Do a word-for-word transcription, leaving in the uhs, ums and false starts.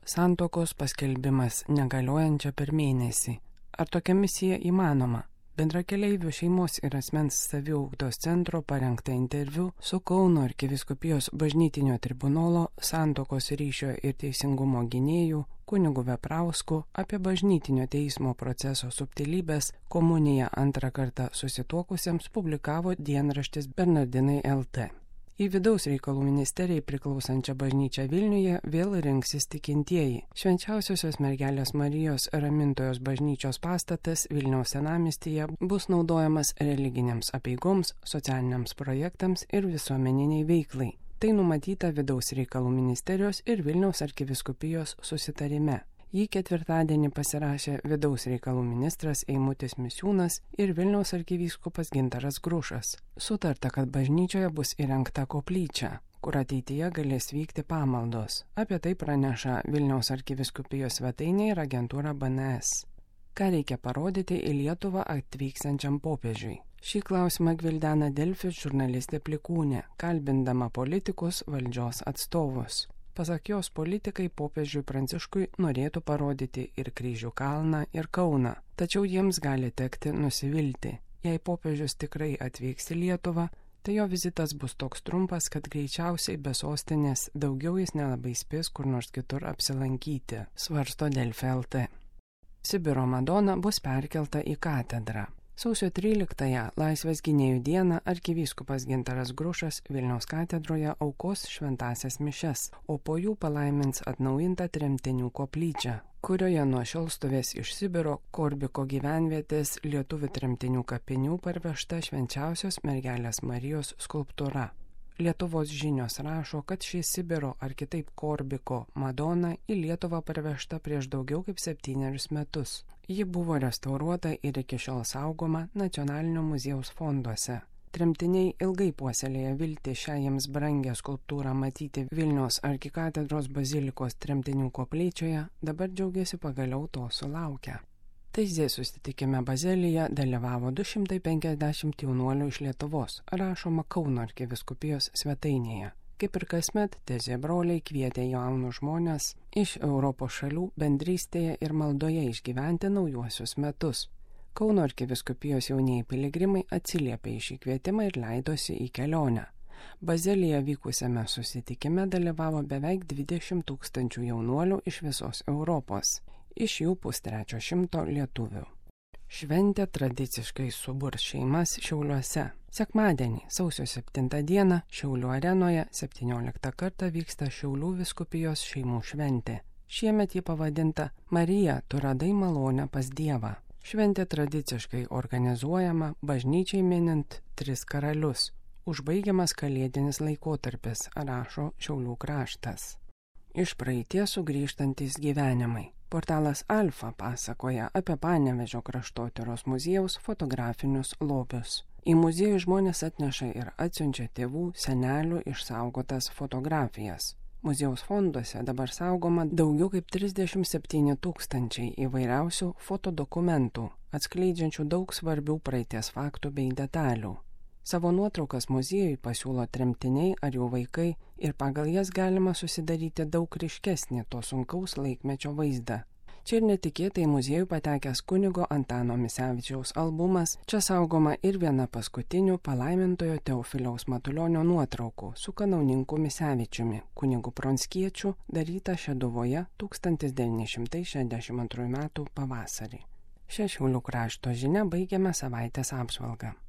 Santuokos paskelbimas negaliojančia per mėnesį. Ar tokia misija įmanoma? Bendrakeleivių šeimos ir asmens saviugdos centro parengta interviu su Kauno arkivyskupijos bažnytinio tribunolo santuokos ryšio ir teisingumo gynėjų kunigu Veprausku apie bažnytinio teismo proceso subtilybės komuniją antrą kartą susituokusiems publikavo dienraštis Bernardinai L T. Į vidaus reikalų ministerijai priklausančią bažnyčią Vilniuje vėl rinksis tikintieji. Švenčiausiosios mergelės Marijos Ramintojos bažnyčios pastatas Vilniaus senamiestyje bus naudojamas religinėms apeigoms, socialiniams projektams ir visuomeniniai veiklai. Tai numatyta vidaus reikalų ministerijos ir Vilniaus arkivyskupijos susitarime. Jį ketvirtadienį pasirašė vidaus reikalų ministras Eimutis Misiūnas ir Vilniaus arkivyskupas Gintaras Grušas. Sutarta, kad bažnyčioje bus įrengta koplyčia, kur ateityje galės vykti pamaldos. Apie tai praneša Vilniaus arkivyskupijos svetainė ir agentūra B N S. Ką reikia parodyti į Lietuvą atvyksiančiam popiežiui? Šį klausimą gvildena Delfi žurnalistė Plikūnė, kalbindama politikus, valdžios atstovus. Pasak jos, politikai popiežiui Pranciškui norėtų parodyti ir Kryžių kalną, ir Kauną, tačiau jiems gali tekti nusivilti. Jei popiežius tikrai atvyks į Lietuvą, tai jo vizitas bus toks trumpas, kad greičiausiai be sostinės daugiau jis nelabai spės kur nors kitur apsilankyti, svarsto Delfi L T. Sibiro Madona bus perkelta į katedrą. Sausio tryliktąją Laisvės gynėjų dieną arkivyskupas Gintaras Grušas Vilniaus katedroje aukos šventąsias mišias, o po jų palaimins atnaujintą tremtinių koplyčią, kurioje nuo šiol stovės iš Sibiro Korbiko gyvenvietės lietuvių tremtinių kapinių parvežta švenčiausios mergelės Marijos skulptūra. Lietuvos žinios rašo, kad ši Sibiro ar kitaip Korbiko Madona į Lietuvą parvežta prieš daugiau kaip septynerius metus. Ji buvo restauruota ir iki šiol saugoma Nacionalinio muziejaus fonduose. Tremtiniai ilgai puoselėja viltį šią jiems brangę skulptūrą matyti Vilniaus arkikatedros bazilikos tremtinių koplyčioje, dabar džiaugiasi pagaliau to sulaukę. Taizė susitikime Bazelyje dalyvavo du šimtai penkiasdešimt jaunuolių iš Lietuvos, rašoma Kauno arkivyskupijos svetainėje. Kaip ir kasmet, Taizė broliai kvietė jaunus žmonės iš Europos šalių bendrystėje ir maldoje išgyventi naujuosius metus. Kauno arkivyskupijos jaunieji piligrimai atsiliepė į šį kvietimą ir leidosi į kelionę. Bazelyje vykusiame susitikime dalyvavo beveik dvidešimt tūkstančių jaunuolių iš visos Europos. Iš jų pustrečio šimto lietuvių. Šventė tradiciškai suburs šeimas Šiauliuose. Sekmadienį, sausio septintą dieną, Šiaulių arenoje septynioliktą kartą vyksta Šiaulių vyskupijos šeimų šventė. Šiemet ji pavadinta Marija, tu radai malonę pas Dievą. Šventė tradiciškai organizuojama bažnyčiai minint tris karalius. Užbaigiamas kalėdinis laikotarpis, rašo Šiaulių kraštas. Iš praeities sugrįžtantys gyvenimai. Portalas Alfa pasakoja apie Panevėžio kraštotyros muziejaus fotografinius lobius. Į muziejų žmonės atneša ir atsiunčia tėvų, senelių išsaugotas fotografijas. Muziejaus fonduose dabar saugoma daugiau kaip trisdešimt septyni tūkstančiai įvairiausių fotodokumentų, atskleidžiančių daug svarbių praeities faktų bei detalių. Savo nuotraukas muziejui pasiūlo tremtiniai ar jų vaikai ir pagal jas galima susidaryti daug ryškesnį to sunkaus laikmečio vaizdą. Čia ir netikėtai muziejų patekęs kunigo Antano Misevičiaus albumas, čia saugoma ir viena paskutinių palaimintojo Teofiliaus Matulionio nuotraukų su kanauninku Misevičiumi, kunigu Pronskiečiu, daryta Šeduvoje tūkstantis devyni šimtai šešiasdešimt antrųjų metų pavasarį. Šią Šiaulių krašto žinią baigiame savaitės apžvalgą.